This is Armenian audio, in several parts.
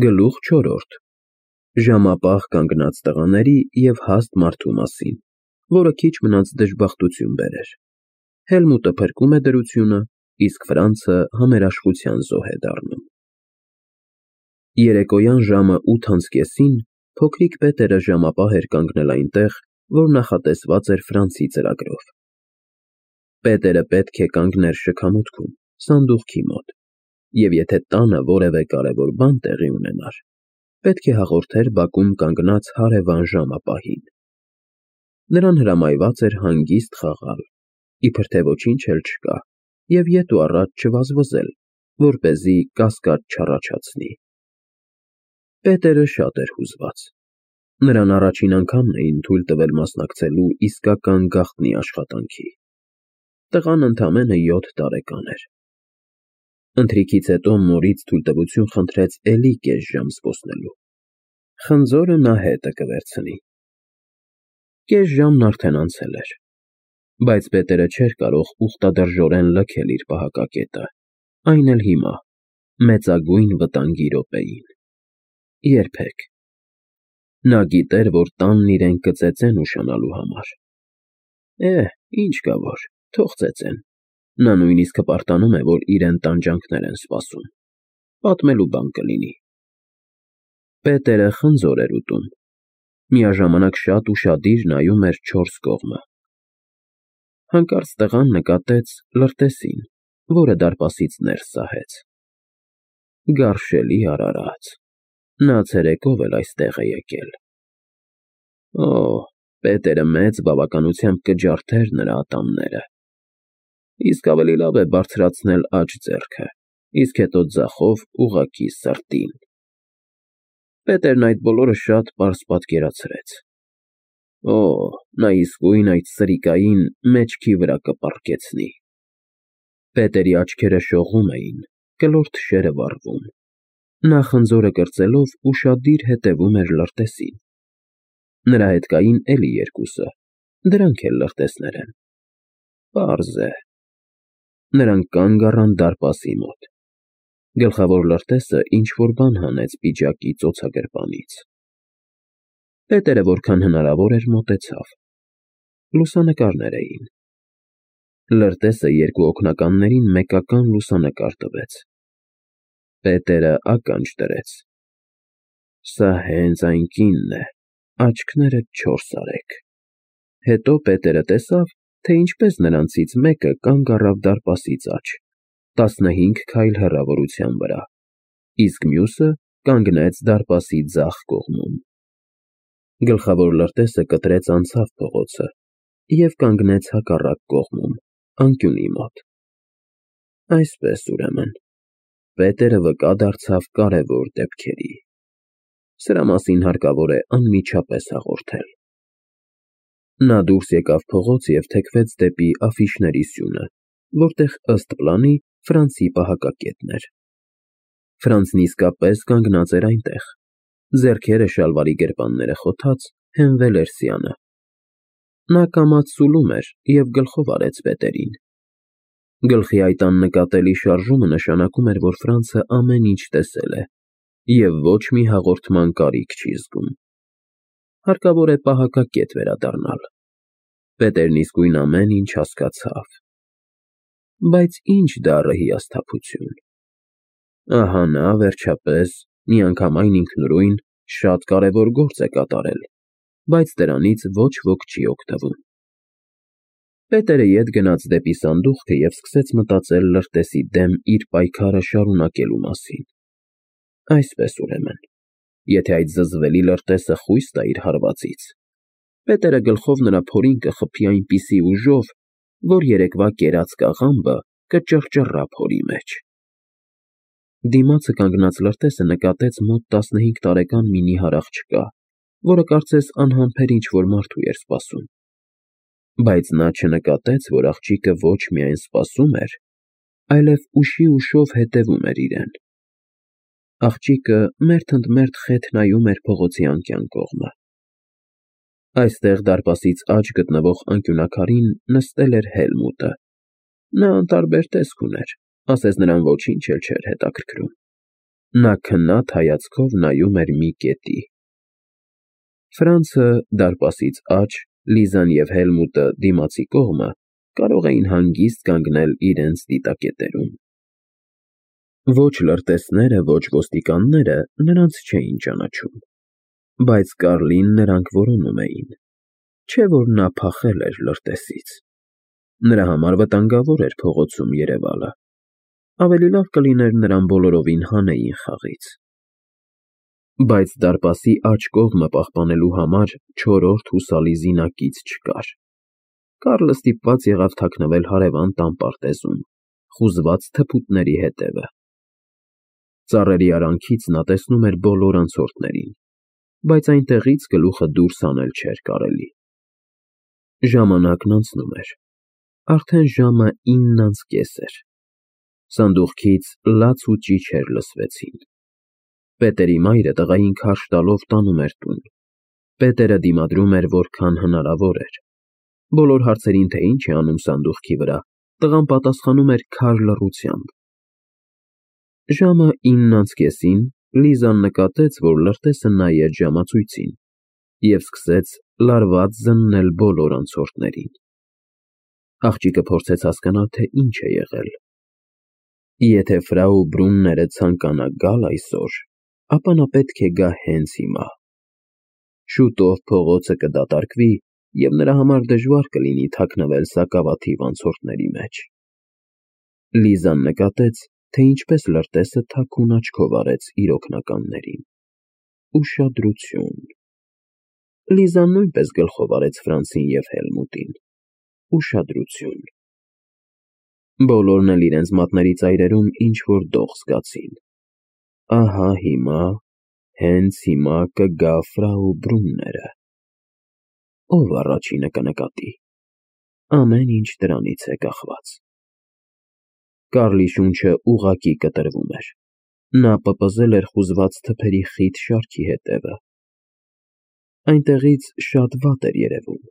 Գլուխ 4. Ժամապահ կանգնած տղաների և հաստ մարդու մասին, որը քիչ մնաց դժբախտություն բերեր։ Հելմուտը փրկում է դրությունը, իսկ Ֆրանցը համերաշխության զոհ է դառնում։ Երեկոյան ժամը 8:30-ին փոքրիկ Պետերը ժամապահ էր կանգնել այնտեղ, որ նախատեսված էր Ֆրանցի ծրագրով։ Պետերը պետք է կանգներ շքամուտքում, սանդուղքի մոտ, և եթե տանը որևէ կարևոր բան տեղի ունենար, պետք է հաղորդեր բակում կանգնած հարևան ժամապահին։ Նրան հրամայված էր հանգիստ խաղալ, իբր թե ոչինչ էլ չկա, և ետ ու առաջ չվազվզել, որպեսզի կասկած չառաջացնի։ Պետերը շատ էր հուզված։ Նրան առաջին անգամն էին թույլ տվել մասնակցելու իսկական գաղտնի աշխատանքի։ Տղան ընդամենը 7 տարեկան էր։ Ընթրիքից հետո մորից թույլտվություն խնդրեց էլի կես ժամ զբոսնելու։ Խնձորը նա հետը կվերցնի։ Կես ժամն արդեն անցել էր, բայց Պետերը չէր կարող ուխտադրժորեն լքել իր պահակակետը, այն էլ հիմա, մեծագույն վտանգի րոպեին։ Երբեք։ Նա գիտեր, որ տանն իրեն կծեծեն ուշանալու համար։ Ինչ կա որ, թող ծեծեն։ Նա նույնիսկ հպարտանում է, որ իրեն տանջանքներ են սպասում։ Պատմելու բան կլինի։ Պետերը խնձոր էր ուտում, միաժամանակ շատ ուշադիր նայում էր 4 կողմը։ Հանկարծ տղան նկատեց լրտեսին, որը դարպասից ներս սահեց։ Գարշելի արարած, նա ցերեկով էլ այստեղ է եկել։ Պետերը մեծ բավականությամբ կջարդեր նրա ատամները։ Իսկ ավելի լավ է բարձրացնել աջ ձեռքը, իսկ հետո ձախով ուղղակի սրտին։ Պետերն այդ բոլորը շատ պարզ պատկերացրեց։ Նա իսկույն այդ սրիկային մեջքի վրա կպառկեցնի։ Պետերի աչքերը շողում էին, կլոր թշերը վառվում։ Նա խնձորը կրծելով ուշադիր հետևում էր լրտեսին։ Նրա հետ կային էլի երկուսը, դրանք էլ լրտեսներ են։ Պարզ է։ Նրանք կանգ առան դարպասի մոտ։ Գլխավոր լրտեսը ինչ-որ բան հանեց պիջակի ծոցագրպանից։ Պետերը որքան հնարավոր էր մոտեցավ։ Լուսանկարներ էին։ Լրտեսը երկու օգնականներին մեկական լուսանկար տվեց։ Պետերը ականջ դրեց։ Սա հենց այն կինն է, աչքներդ 4 արեք։ Հետո Պետերը տեսավ, թե ինչպես նրանցից մեկը կանգ առավ դարպասից աջ, 15 քայլ հեռավորության վրա, իսկ մյուսը կանգնեց դարպասի ձախ կողմում։ Գլխավոր լրտեսը կտրեց անցավ փողոցը և կանգնեց հակառակ կողմում, անկյունի մոտ։ Այսպես, ուրեմն, Պետերը վկա դարձավ կարևոր դեպքերի։ Սրա մասին հարկավոր է անմիջապես հաղորդել։ Նա դուրս եկավ փողոց և թեքվեց դեպի աֆիշների սյունը, որտեղ ըստ պլանի Ֆրանցի պահակակետն էր։ Ֆրանցն իսկապես կանգնած էր այնտեղ, ձեռքերը շալվարի գրպանները խոթած, հենվել էր սյանը։ Նա կամաց սուլում էր և գլխով արեց Պետերին։ Գլխի այդ աննկատելի շարժումը նշանակում էր, որ Ֆրանցը ամեն ինչ տեսել է և ոչ մի հաղորդման կարիք չի զգում։ Հարկավոր է պահակակետ վերադառնալ։ Պետերն իսկույն ամեն ինչ հասկացավ։ Բայց ինչ դառը հիասթափություն։ Ահա նա, վերջապես, միանգամայն ինքնուրույն, շատ կարևոր գործ է կատարել, բայց դրանից ոչ ոք չի օգտվում։ Պետերը ետ գնաց դեպի սանդուղքը և սկսեց մտածել լրտեսի դեմ իր պայքարը շարունակելու մասին։ Այսպես, ուրեմն, եթե այդ զզվելի լրտեսը խույս տա իր հարվածից, Պետերը գլխով նրա փորին կխփի այնպիսի ուժով, որ երեկվա կերած կաղամբը կճռճռա փորի մեջ։ Դիմացը կանգնած լրտեսը նկատեց մոտ 15 տարեկան մի նիհար աղջկա, որը կարծես անհամբեր ինչ-որ մարդու էր սպասում։ Բայց նա չնկատեց, որ աղջիկը ոչ միայն սպասում էր, այլև ուշի ուշով հետևում էր իրեն։ Աղջիկը մերթ ընդ մերթ խեթ նայում էր փողոցի անկյան կողմը։ Այստեղ դարպասից աջ գտնվող անկյունաքարին նստել էր Հելմուտը։ Նա անտարբեր տեսք ուներ, ասես նրան ոչինչ էլ չէր հետաքրքրում։ Նա քնած հայացքով նայում էր մի կետի։ Ֆրանցը դարպասից աջ, Լիզան և Հելմուտը դիմացի կողմը կարող էին հանգիստ կանգնել իրենց դիտակետերում։ Ոչ լրտեսները, ոչ ոստիկանները նրանց չէին ճանաչում, բայց Կարլին նրանք որոնում էին, չէ՞ որ նա փախել էր լրտեսից։ Նրա համար վտանգավոր էր փողոցում երևալը, ավելի լավ կլիներ նրան բոլորովին հանեին խաղից։ Բայց դարպասի աջ կողմը պահպանելու համար չորրորդ հուսալի զինակից չկար։ Կարլը ստիպված եղավ թաքնվել հարևան տան պարտեզում, խուզված թփուտների հետևը։ Ծառերի արանքից նա տեսնում էր բոլոր անցորդներին, բայց այնտեղից գլուխը դուրս հանել չէր կարելի։ Ժամանակն անցնում էր, արդեն ժամը 9:30 էր։ Սանդուղքից լաց ու ճիչեր լսվեցին։ Պետերի մայրը տղային քարշ տալով տանում էր տուն։ Պետերը դիմադրում էր որքան հնարավոր էր։ Բոլոր հարցերին, թե ինչ է անում սանդուղքի վրա, տղան պատասխանում էր քար լռությամբ։ Ժամը 9:30-ին Լիզան նկատեց, որ լրտեսը նայեց ժամացույցին և սկսեց լարված զննել բոլոր անցորդներին։ Աղջիկը փորձեց հասկանալ, թե ինչ է եղել։ Եթե ֆրау Բրունները ցանկանա գալ այսօր, ապա նա պետք է գա հենց հիմա։ Շուտով փողոցը կդատարկվի, և նրա համար դժվար կլինի թաքնվել սակավաթիվ անցորդների մեջ։ Լիզան նկատեց, թե ինչպես լրտեսը թաքուն աչքով արեց իր օգնականներին։ Ուշադրություն։ Լիզան նույնպես գլխով արեց Ֆրանցին և Հելմուտին։ Ուշադրություն։ Բոլորն էլ իրենց մատների ծայրերում ինչ-որ դող զգացին։ Ահա հիմա, հենց հիմա կգա ֆրау Բրունները։ Ով առաջինը կնկատի։ Ամեն ինչ դրանից է կախված։ Կարլի շունչը ուղղակի կտրվում էր։ Նա պպզել էր խուզված թփերի խիտ շարքի հետևը։ Այնտեղից շատ վատ էր երևում։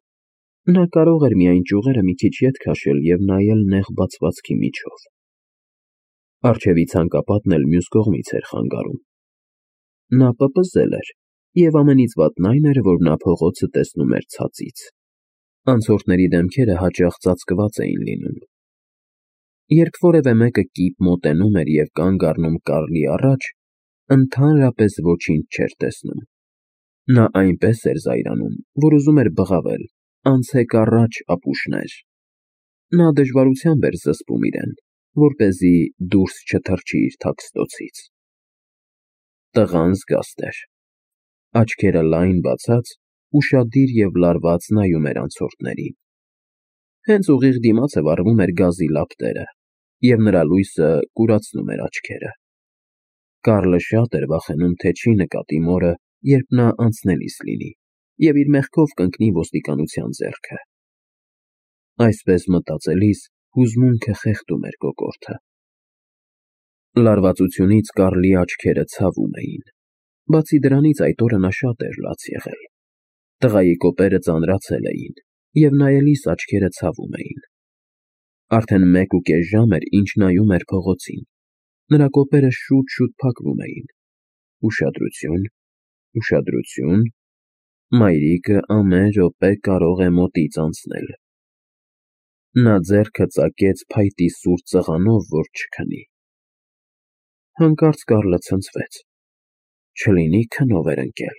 Նա կարող էր միայն ճյուղերը մի քիչ ետ քաշել և նայել նեղ բացվածքի միջով։ Առջևի ցանկապատն էլ մյուս կողմից էր խանգարում։ Նա պպզել էր, և ամենից վատն այն էր, որ նա փողոցը տեսնում էր ցածից։ Անցորդների դեմքերը հաճախ ծածկված էին լինում։ Երբ որևէ մեկը կիպ մոտենում էր և կանգ առնում Կարլի առաջ, ընդհանրապես ոչինչ չէր տեսնում։ Նա այնպես էր զայրանում, որ ուզում էր բղավել. «Անցեք առաջ, ապուշներ»։ Նա դժվարությամբ էր զսպում իրեն, որպեսզի դուրս չթռչի իր թաքստոցից։ Տղան զգաստ էր։ Աչքերը լայն բացած, ուշադիր և լարված նայում էր անցորդներին։ Հենց ուղիղ դիմացը վառվում էր գազի լապտերը, և նրա լույսը կուրացնում էր աչքերը։ Կարլը շատ էր վախենում, թե չի նկատի մորը, երբ նա անցնելիս լինի, և իր մեղքով կընկնի ոստիկանության ձեռքը։ Այսպես մտածելիս հուզմունքը խեղդում էր կոկորդը։ Լարվածությունից Կարլի աչքերը ցավում էին։ Բացի դրանից այդ օրը նա շատ էր լաց եղել։ Տղայի կոպերը ծանրացել էին, և նայելիս աչքերը ցավում էին։ Արդեն 1.5 ժամ էր, ինչ նայում էր փողոցին։ Նրա կոպերը շուտ-շուտ փակվում էին։ Ուշադրություն, ուշադրություն, մայրիկը ամեն րոպե կարող է մոտից անցնել։ Նա ձեռքը ծակեց փայտի սուր ծղանով, որ չքնի։ Հանկարծ Կարլը ցնցվեց։ Չլինի քնով էր ընկել։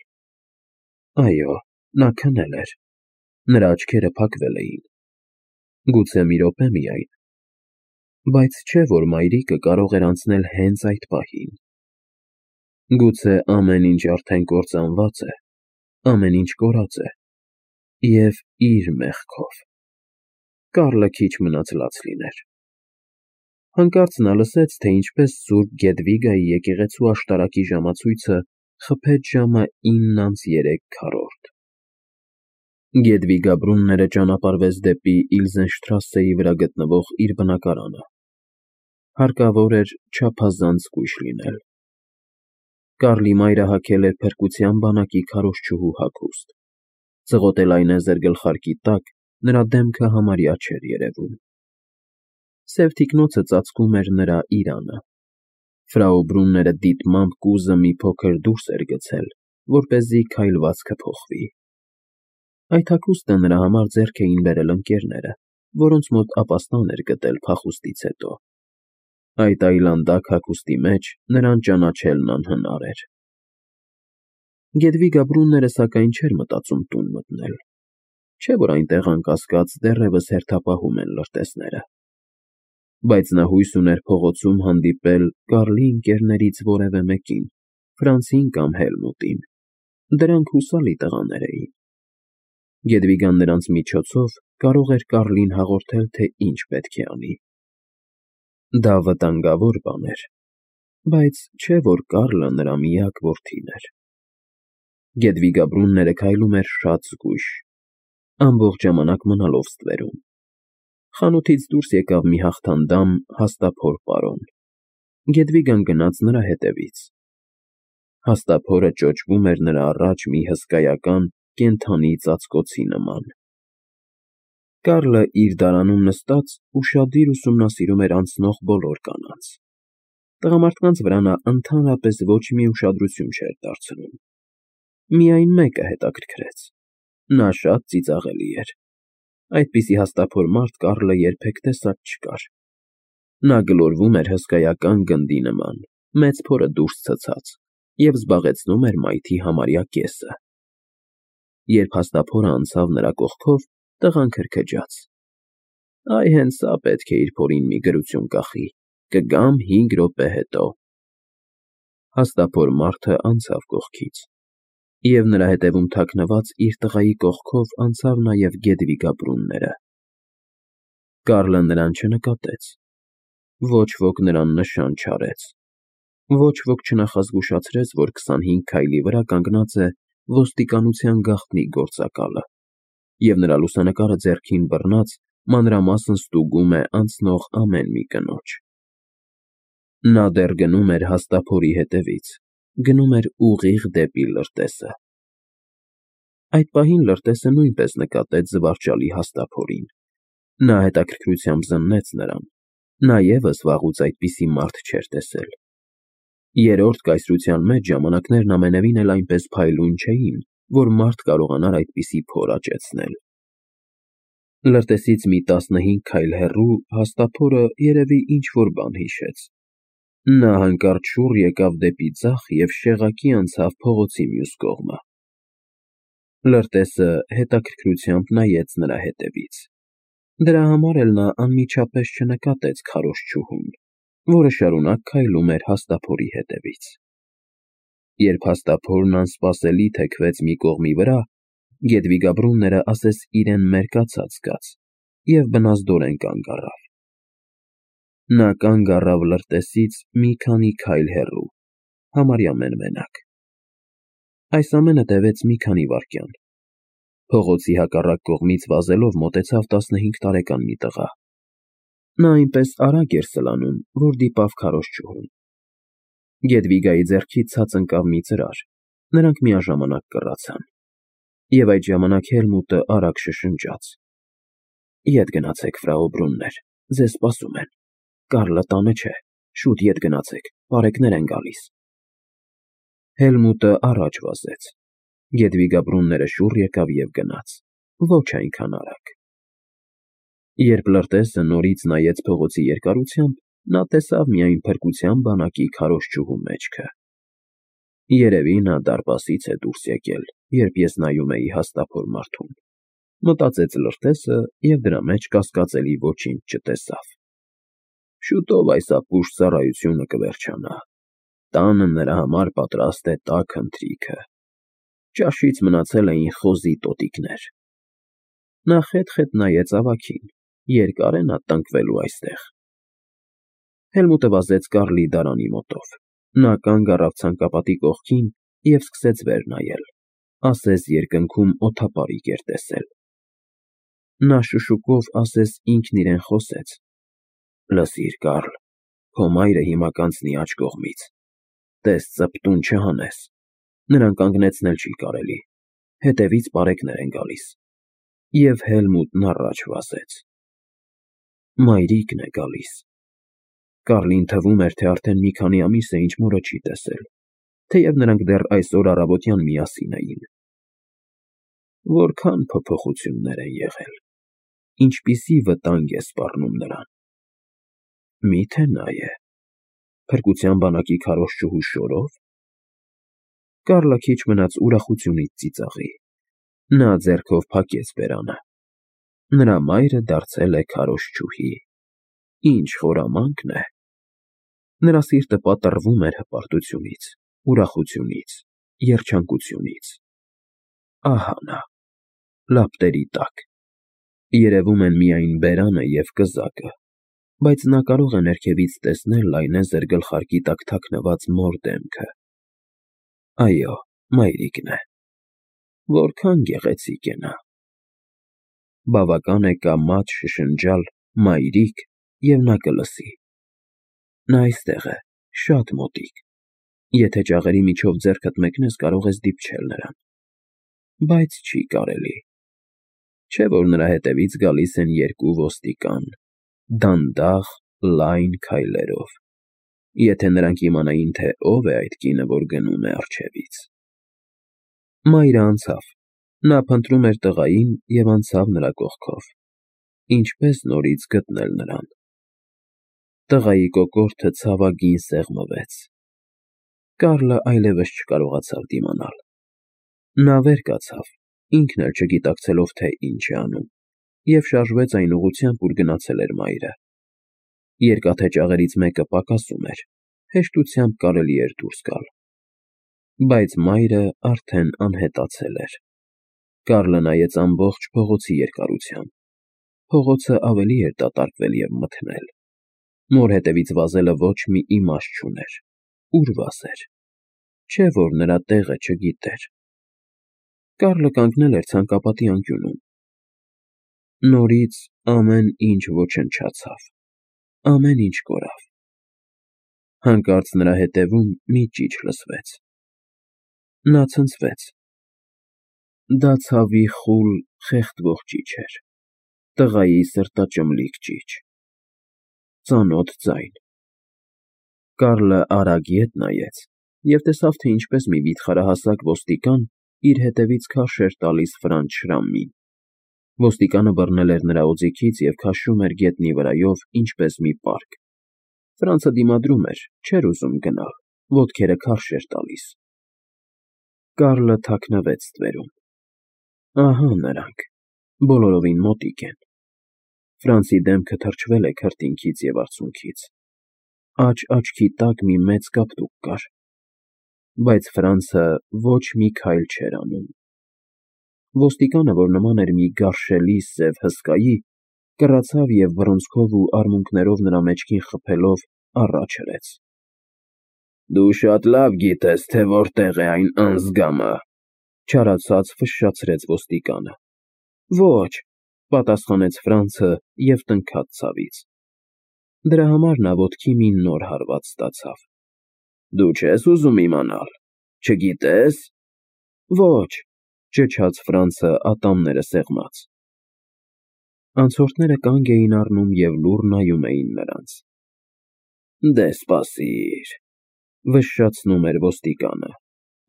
Այո, նա քնել էր։ Նրա աչքերը փակվել էին։ Գուցե մի րոպե միայն։ Բայց չէ՞ որ մայրիկը կարող էր անցնել հենց այդ պահին։ Գուցե ամեն ինչ արդեն կործանված է, ամեն ինչ կորած է, և իր մեղքով։ Կարլը քիչ մնաց լաց լիներ։ Հանկարծ նա լսեց, թե ինչպես Սուրբ Գեդվիգայի եկեղեցու աշտարակի ժամացույցը խփեց ժամը 9:03։ Գեդվիգա Բրունները ճանապարհվեց դեպի Իլզենշտրասեի վրա գտնվող իր բնակարանը։ Հարկավոր էր չափազանց զգույշ լինել։ Կարլի մայրը հագել էր փրկության բանակի քարոզչուհու հագուստ։ Ծղոտել այնեզեր գլխարկի տակ նրա դեմքը համարյա չէր երևում։ Սև թիկնոցը ծածկում էր նրա իրանը։ Ֆրաու Բրունները դիտմամբ կուզը մի փոքր դուրս էր գցել, որպեսզի քայլվածքը փոխվի։ Այդ հագուստը նրա համար ձեռք էին բերել ընկերները, որոնց մոտ ապաստան էր գտել փախուստից հետո։ Այդ այլանդակ հագուստի մեջ նրան ճանաչելն անհնար էր։ Գետվիգա Բրունները սակայն չէր մտածում տուն մտնել, չէ՞ որ այնտեղ անկասկած դեռևս հերթապահում են լրտեսները։ Բայց նա հույս ուներ փողոցում հանդիպել Կարլի ընկերներից որևէ մեկին, Ֆրանսին կամ Հելմուտին։ Դրանք հուսալի տղաներ էին։ Գետվիգան նրանց միջոցով կարող էր Կարլին հաղորդել, թե ինչ պետք է անի։ Դա վտանգավոր բան էր, բայց չէ՞ որ Կարլը նրա միակ որդին էր։ Գետվիգա Բրունները քայլում էր շատ զգույշ, ամբողջ ժամանակ մնալով ստվերում։ Խանութից դուրս եկավ մի հաղթանդամ հաստափոր պարոն։ Գետվիգան գնաց նրա հետևից։ Հաստափորը ճոճվում էր նրա առաջ մի հսկայական կենդանի ծածկոցի նման։ Կարլը իր դարանում նստած ուշադիր ուսումնասիրում էր անցնող բոլոր կանանց։ Տղամարդկանց վրա նա ընդհանրապես ոչ մի ուշադրություն չէր դարձնում։ Միայն մեկը հետաքրքրեց։ Նա շատ ծիծաղելի էր։ Այդպիսի հաստափոր մարդ Կարլը երբեք տեսած չկար։ Նա գլորվում էր հսկայական գնդի նման, մեծ փորը դուրս ցցած, և զբաղեցնում էր մայթի համարյա կեսը։ Երբ հաստափորը անցավ նրա կողքով, տղան քրքջաց. «Այ հենց սա պետք է իր փորին մի գրություն կախի, կգամ 5 րոպե հետո»։ Հաստափոր մարդը անցավ կողքից, և նրա հետևում թաքնված իր տղայի կողքով անցավ նաև Գետվիգա Բրունները։ Կարլը նրան չնկատեց։ Ոչ ոք նրան նշան չարեց։ Ոչ ոք չնախազգուշացրեց, որ 25 քայլի վրա կանգնած է ոստիկանության գաղտնի գործակալը, և նրա լուսանկարը ձեռքին բռնած մանրամասն ստուգում է անցնող ամեն մի կնոջ։ Նա դեռ գնում էր հաստափորի հետևից, գնում էր ուղիղ դեպի լրտեսը։ Այդ պահին լրտեսը նույնպես նկատեց զվարճալի հաստափորին։ Նա հետաքրքրությամբ զննեց նրան։ Նա ևս վաղուց այդպիսի մարդ չէր տեսել։ Երրորդ կայսրության մեջ ժամանակներն ամենևին էլ այնպես փայլուն չէին, որ մարդ կարողանար այդպիսի փոր աճեցնել։ Լրտեսից մի 15 քայլ հեռու հաստափորը երևի ինչ֊որ բան հիշեց։ Նա հանկարծ շուռ եկավ դեպի ձախ և շեղակի անցավ փողոցի մյուս կողմը։ Լրտեսը հետաքրքրությամբ նայեց նրա հետևից։ Դրա համար էլ նա անմիջապես չնկատեց քարոզչուհուն, որը շարունակ քայլում էր հաստափորի հետևից։ Երբ հաստափորն անսպասելի թեքվեց մի կողմի վրա, Գետվիգա Բրունները ասես իրեն մերկացած զգաց և բնազդորեն կանգ առավ։ Նա կանգ առավ լրտեսից մի քանի քայլ հեռու, համարյա մենմենակ։ Այս ամենը տևեց մի քանի վայրկյան։ Փողոցի հակառակ կողմից վազելով մոտեցավ 15 տարեկան մի տղա։ Նա այնպես արագ էր սլանում, որ դիպավ քարոզչուհուն։ Գետվիգայի ձեռքից ցած ընկավ մի ծրար, նրանք միաժամանակ կռացան։ Եվ այդ ժամանակ Հելմուտը արագ շշնջաց. «Ետ գնացեք, ֆրաու Բրուններ, ձեզ սպասում են։ Կարլը տանը չէ, շուտ ետ գնացեք, պարեկներ են գալիս»։ Հելմուտը առաջ վազեց։ Գետվիգա Բրունները շուռ եկավ և գնաց, ոչ այնքան արագ։ Երբ լրտեսը նորից նայեց փողոցի երկարությամբ, նա տեսավ միայն փրկության բանակի քարոզչուհու մեջքը։ Երևի նա դարպասից է դուրս եկել, երբ ես նայում էի հաստափոր մարդուն, մտածեց լրտեսը և դրա մեջ կասկածելի ոչինչ չտեսավ։ Շուտով այս ապուշ ծառայությունը կվերջանա։ Տանը նրա համար պատրաստ է տաք ընթրիքը։ Ճաշից մնացել էին խոզի տոտիկներ։ Նա խետ-խետ նայեց ավագին, երկար է նա տնկվելու այստեղ։ Հելմուտը վազեց Կարլի դարանի մոտով։ Նա կանգ առավ ցանկապատի կողքին և սկսեց վեր նայել, ասես երկնքում օդապարիկ էր տեսել։ Նա շշուկով ասես ինքն իրեն խոսեց. «Լսիր, Կարլ, քո մայրը հիմա կանցնի աջ կողմից։ Տես ծպտուն չհանես, նրան կանգնեցնել չի կարելի, հետևից պարեկներ են գալիս»։ Եվ Հելմուտն առաջ վազեց։ Մայրիկն է գալիս։ Կարլին թվում էր, թե արդեն մի քանի ամիս է, ինչ մորը չի տեսել, թեև նրանք դեռ այսօր առավոտյան միասին էին։ Որքան փոփոխություններ են եղել, ինչպիսի վտանգ է սպառնում նրան։ Միթե նա է, փրկության բանակի քարոզչուհու շորով։ Կարլը քիչ մնաց ուրախությունից ծիծաղի։ Նա ձեռքով փակեց բերանը։ Նրա մայրը դարձել է քարոզչուհի։ Ինչ խորամանկ է։ Նրա սիրտը պատռվում էր հպարտությունից, ուրախությունից, երջանկությունից։ Ահա նա, լապտերի տակ։ Երևում են միայն բերանը և կզակը, բայց նա կարող է ներքևից տեսնել լայնեզր գլխարկի տակ թաքնված մոր դեմքը։ Այո, մայրիկն է։ Որքան գեղեցիկ է նա։ Բավական է կա մատ շշնջալ «մայրիկ» և նա կլսի։ Նա այստեղ է, շատ մոտիկ։ Եթե ճաղերի միջով ձեռքդ մեկնես, կարող ես դիպչել նրան։ Բայց չի կարելի։ Չէ՞ որ նրա հետևից գալիս են երկու ոստիկան, դանդաղ, լայն քայլերով։ Եթե նրանք իմանային, թե ով է այդ կինը, որ գնում է առջևից։ Մայրը անցավ։ Նա փնտրում էր տղային և անցավ նրա կողքով։ Ինչպես նորից գտնել նրան։ Տղայի կոկորդը ցավագին սեղմվեց։ Կարլը այլևս չկարողացավ դիմանալ։ Նա վեր կացավ, ինքն էլ չգիտակցելով, թե ինչ է անում, և շարժվեց այն ուղղությամբ, ուր գնացել էր մայրը։ Երկաթե ճաղերից մեկը պակասում էր, հեշտությամբ կարելի էր դուրս գալ։ Բայց մայրը արդեն անհետացել էր։ Կարլը նայեց ամբողջ փողոցի երկարությամբ։ Փողոցը ավելի էր դատարկվել և մթնել։ Մոր հետևից վազելը ոչ մի իմաստ չուներ։ Ուր վազեր։ Չէ՞ որ նրա տեղը չգիտեր։ Կարլը կանգնել էր ցանկապատի անկյունում։ Նորից ամեն ինչ ոչնչացավ։ Ամեն ինչ կորավ։ Հանկարծ նրա հետևում մի ճիչ լսվեց։ Նա ցնցվեց։ Դա ցավի խուլ, խեղդվող ճիչ էր։ Տղայի սրտաճմլիկ ճիչ։ Ծանոթ ձայն։ Կարլը արագ ետ նայեց և տեսավ, թե ինչպես մի վիթխարահասակ ոստիկան իր հետևից քարշ էր տալիս Ֆրանց Շրամմին։ Ոստիկանը բռնել էր նրա օձիքից և քաշում էր գետնի վրայով, ինչպես մի պարկ։ Ֆրանցը դիմադրում էր, չէր ուզում գնալ, ոտքերը քարշ էր տալիս։ Կարլը թաքնվեց ստվերում։ Ահա նրանք, բոլորովին մոտիկ են։ Ֆրանցի դեմքը թրջվել է քրտինքից և արցունքից։ Աջ աչքի տակ մի մեծ կապտուկ կար։ Բայց Ֆրանցը ոչ մի քայլ չէր անում։ Ոստիկանը, որ նման էր մի գարշելի սև հսկայի, կռացավ և բռունցքով ու արմունկներով նրա մեջքին խփելով առաջ հրեց։ Դու շատ լավ գիտես, թե որտեղ է այն անձգամը, չարացած ֆշշացրեց ոստիկանը։ Ոչ, պատասխանեց Ֆրանցը և տնքաց ցավից։ Դրա համար նա ոտքի մի նոր հարված ստացավ։ Դու չես ուզում իմանալ, չգիտես։ Ոչ, ճչաց Ֆրանցը ատամները սեղմած։ Անցորդները կանգ էին առնում և լուռ նայում էին նրանց։ Դե սպասիր, վշշացնում էր ոստիկանը։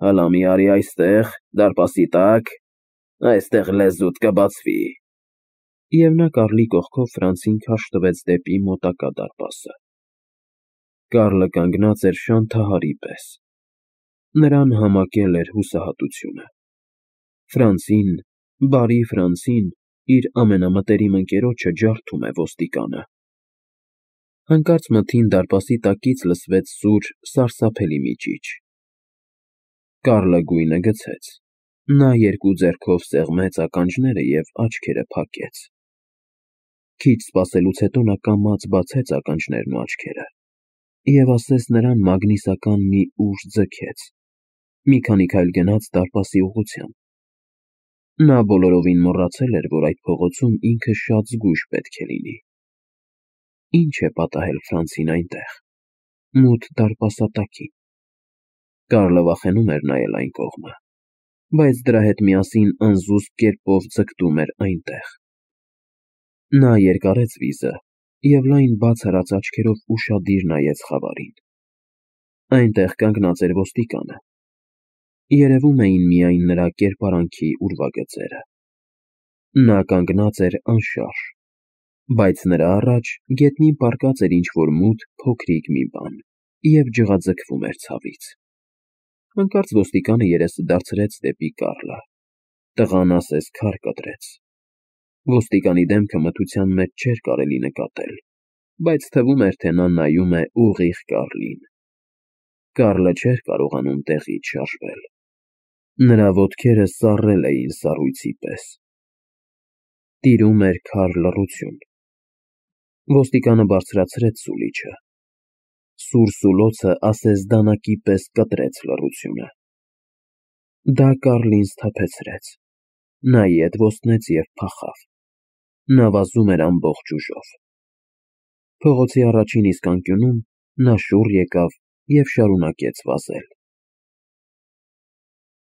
Հլա մի արի այստեղ, դարպասի տակ, այստեղ լեզուդ կբացվի։ Եվ նա Կարլի կողքով Ֆրանցին քարշ տվեց դեպի մոտակա դարպասը։ Կարլը կանգնած էր շանթահարի պես։ Նրան համակել էր հուսահատությունը։ Ֆրանցին, բարի Ֆրանցին, իր ամենամտերիմ ընկերոջը ջարդում է ոստիկանը։ Հանկարծ մթին դարպասի տակից լսվեց սուր, սարսափելի մի ճիչ։ Կարլը գույնը գցեց։ Նա երկու ձեռքով սեղմեց ականջները և աչքերը փակեց։ Քիչ սպասելուց հետո նա կամաց բացեց ականջներն ու աչքերը և ասես նրան մագնիսական մի ուժ ձգեց։ Մի քանի քայլ գնաց դարպասի ուղղությամբ։ Նա բոլորովին մոռացել էր, որ այդ փողոցում ինքը շատ զգույշ պետք է լինի։ Ինչ է պատահել Ֆրանցին այնտեղ, մութ դարպասատակին։ Կարլը վախենում էր նայել այն կողմը, բայց դրա հետ միասին անզուսպ կերպով ձգտում էր այնտեղ։ Նա երկարեց վիզը և լայն բաց արած աչքերով ուշադիր նայեց խավարին։ Այնտեղ կանգնած էր ոստիկանը։ Երևում էին միայն նրա կերպարանքի ուրվագծերը։ Նա կանգնած էր անշարժ, բայց նրա առաջ գետնին պառկած էր ինչ-որ մութ փոքրիկ մի բան և ջղաձգվում էր ցավից։ Հանկարծ ոստիկանը երեսը դարձրեց դեպի Կառլը։ Տղան ասես քար կտրեց։ Ոստիկանի դեմքը մթության մեջ չէր կարելի նկատել, բայց թվում էր, թե նա նայում է ուղիղ Կառլին։ Կառլը չէր կարողանում տեղից շարժվել։ Նրա ոտքերը սառել էին սառույցի պես։ Տիրում էր քար լռություն։ Ոստիկանը բարձրացրեց սուլիչը։ Սուր սուլոցը ասես դանակի պես կտրեց լռությունը։ Դա Կառլին սթափեցրեց։ Նա ետ ոստնեց և փախավ։ Նա վազում էր ամբողջ ուժով։ Փողոցի առաջին իսկ անկյունում նա շուռ եկավ և շարունակեց վազել։